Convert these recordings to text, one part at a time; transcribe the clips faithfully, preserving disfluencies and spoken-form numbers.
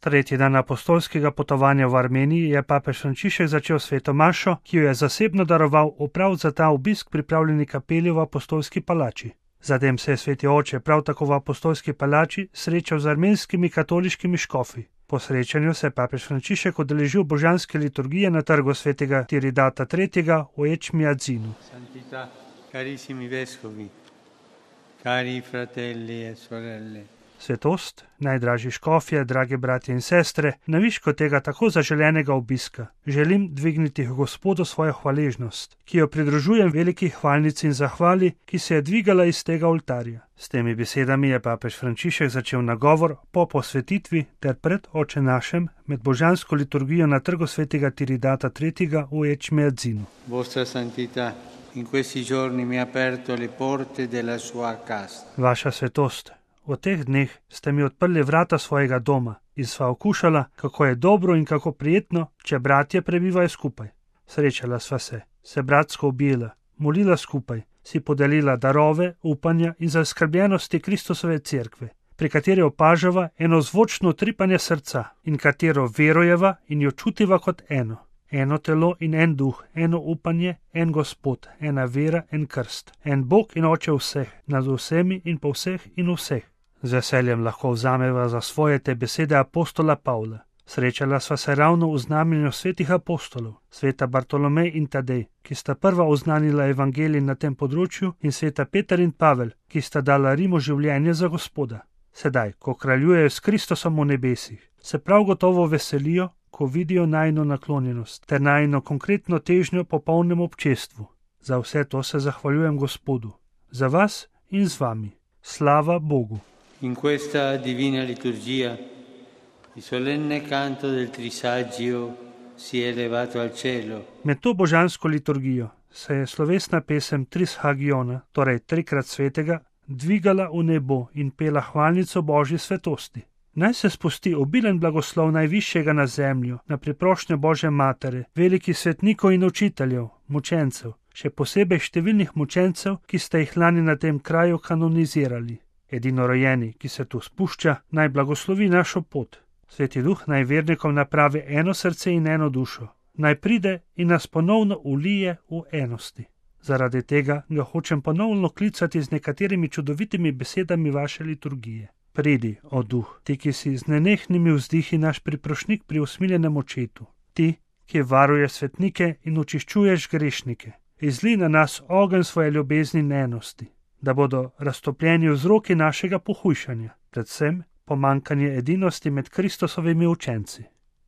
Tretji dan apostolskega potovanja v Armeniji je papež Frančišek začel sveto mašo, ki jo je zasebno daroval v prav za ta obisk pripravljeni kapeli v apostolski palači. Zatem se je sveti oče prav tako v apostolski palači srečal z armenskimi katoliškimi škofi. Po srečanju se je papež Frančišek udeležil božanske liturgije na trgu svetega Tiridata tretjega v Ečmiadzinu. Santità, carissimi vescovi, cari fratelli e sorelle. Svetost, najdražji škofje, drage bratje in sestre, na višku tega tako zaželenega obiska želim dvigniti Gospodu svojo hvaležnost, ki jo pridružujem veliki hvalnici in zahvali, ki se je dvigala iz tega oltarja. S temi besedami je papež Frančišek začel nagovor po posvetitvi ter pred Oče našem med božansko liturgijo na trgu svetega Tiridata tretjega v Ečmiadzinu. Vostra santità, in questi giorni mi ha aperto le porte della sua casa. Vaša svetost, v teh dneh ste mi odprli vrata svojega doma in sva okušala, kako je dobro in kako prijetno, če bratje prebivajo skupaj. Srečala sva se, se bratsko objela, molila skupaj, si podelila darove, upanja in zaskrbljenosti Kristusove cerkve, pri kateri opažava eno zvočno tripanje srca in katero verujeva in jo čutiva kot eno. Eno telo in en duh, eno upanje, en Gospod, ena vera, en krst, en Bog in Oče vseh, nad vsemi in po vseh in vseh. Z veseljem lahko vzameva za svoje te besede apostola Pavla. Srečala sva se ravno v znamenju svetih apostolov, sveta Bartolomej in Tadej, ki sta prva oznanila evangelij na tem področju, in sveta Peter in Pavel, ki sta dala Rimu življenje za Gospoda. Sedaj, ko kraljujejo s Kristusom v nebesih, se prav gotovo veselijo, ko vidijo najino naklonjenost ter najino konkretno težnjo po polnem občestvu. Za vse to se zahvaljujem Gospodu, za vas in z vami. Slava Bogu. In questa divina liturgia, il solenne canto del Trisaggio si è elevato al cielo. Med to božansko liturgijo se je slovesna pesem Trishagiona, torej trikrat svetega, dvigala v nebo in pela hvalnico Božje svetosti. Naj se spusti obilen blagoslov najvišjega na zemljo, na priprošnjo Božje matere, velikih svetnikov in učiteljev, mučencev, še posebej številnih mučencev, ki ste jih lani na tem kraju kanonizirali. Edinorojeni, ki se tu spušča, naj blagoslovi našo pot. Sveti Duh naj vernikom napravi eno srce in eno dušo. Naj pride in nas ponovno ulije v enosti. Zaradi tega ga hočem ponovno klicati z nekaterimi čudovitimi besedami vaše liturgije. Pridi, o Duh, ti, ki si z nenehnimi vzdihi naš priprošnik pri usmiljenem očetu. Ti, ki varuje svetnike in očiščuješ grešnike. Izli na nas ogenj svoje ljubezni in enosti, da bodo raztopljeni vzroki našega pohujšanja, predvsem pomankanje edinosti med Kristusovimi učenci.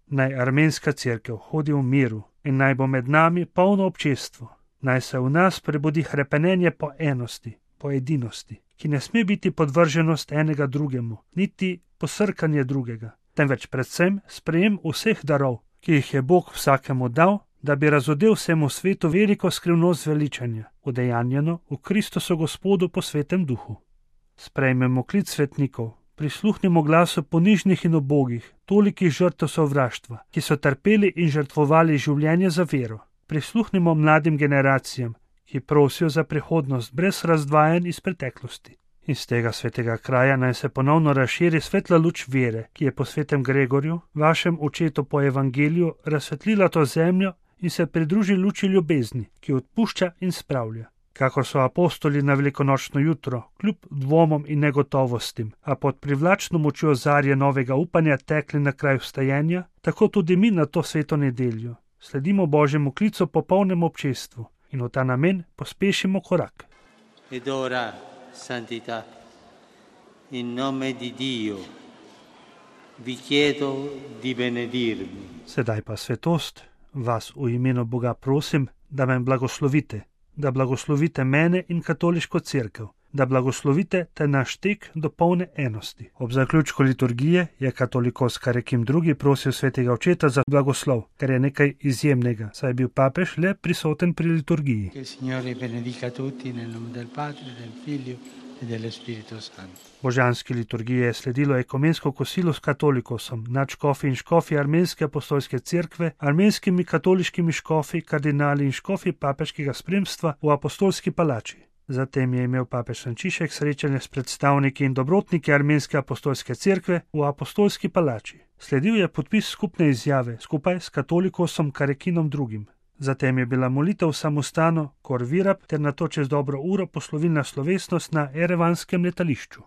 Naj armenska cerkev hodi v miru in naj bo med nami polno občestvo. Naj se v nas prebudi hrepenenje po enosti, po edinosti, ki ne sme biti podvrženost enega drugemu, niti posrkanje drugega, temveč predvsem sprejem vseh darov, ki jih je Bog vsakemu dal, da bi razodel vsemu svetu veliko skrivnost veličanja, udejanjeno v Kristusu Gospodu po svetem duhu. Sprejmemo klic svetnikov, prisluhnimo glasu ponižnih in ubogih, tolikih žrtev sovraštva, ki so trpeli in žrtvovali življenje za vero. Prisluhnimo mladim generacijam, ki prosijo za prihodnost brez razdvajanj iz preteklosti. Iz tega svetega kraja naj se ponovno razširi svetla luč vere, ki je po svetem Gregorju, vašem očetu po evangeliju, razsvetlila to zemljo in se pridruži luči ljubezni, ki odpušča in spravlja. Kakor so apostoli na velikonočno jutro, kljub dvomom in negotovostim, a pod privlačno močjo zarje novega upanja tekli na kraj vstajenja, tako tudi mi na to sveto nedeljo sledimo Božjemu klicu po polnem občestvu in v ta namen pospešimo korak. Ed ora, santità, in nome di Dio, vi chiedo di benedirmi. Sedaj pa svetost, vas v imenu Boga prosim, da me blagoslovite, da blagoslovite mene in katoliško cerkev, da blagoslovite te naš tek do polne enosti. Ob zaključku liturgije je katolikos Karekim drugi prosil svetega očeta za blagoslov, kar je nekaj izjemnega, saj je bil papež le prisoten pri liturgiji. Che il Signore benedica tutti nel nome del Padre, del Figlio e dello Spirito Santo. Božanski liturgiji je sledilo ekumensko kosilo s katolikosom, nadškofi in škofi Armenske apostolske cerkve, armenskimi katoliškimi škofi, kardinali in škofi papeškega spremstva v apostolski palači. Zatem je imel papež Frančišek srečanje s predstavniki in dobrotniki Armenske apostolske cerkve v apostolski palači. Sledil je podpis skupne izjave skupaj s katolikosom Karekinom drugim. Zatem je bila molitev v samostanu Kor Virab ter nato čez dobro uro poslovilna slovesnost na erevanskem letališču.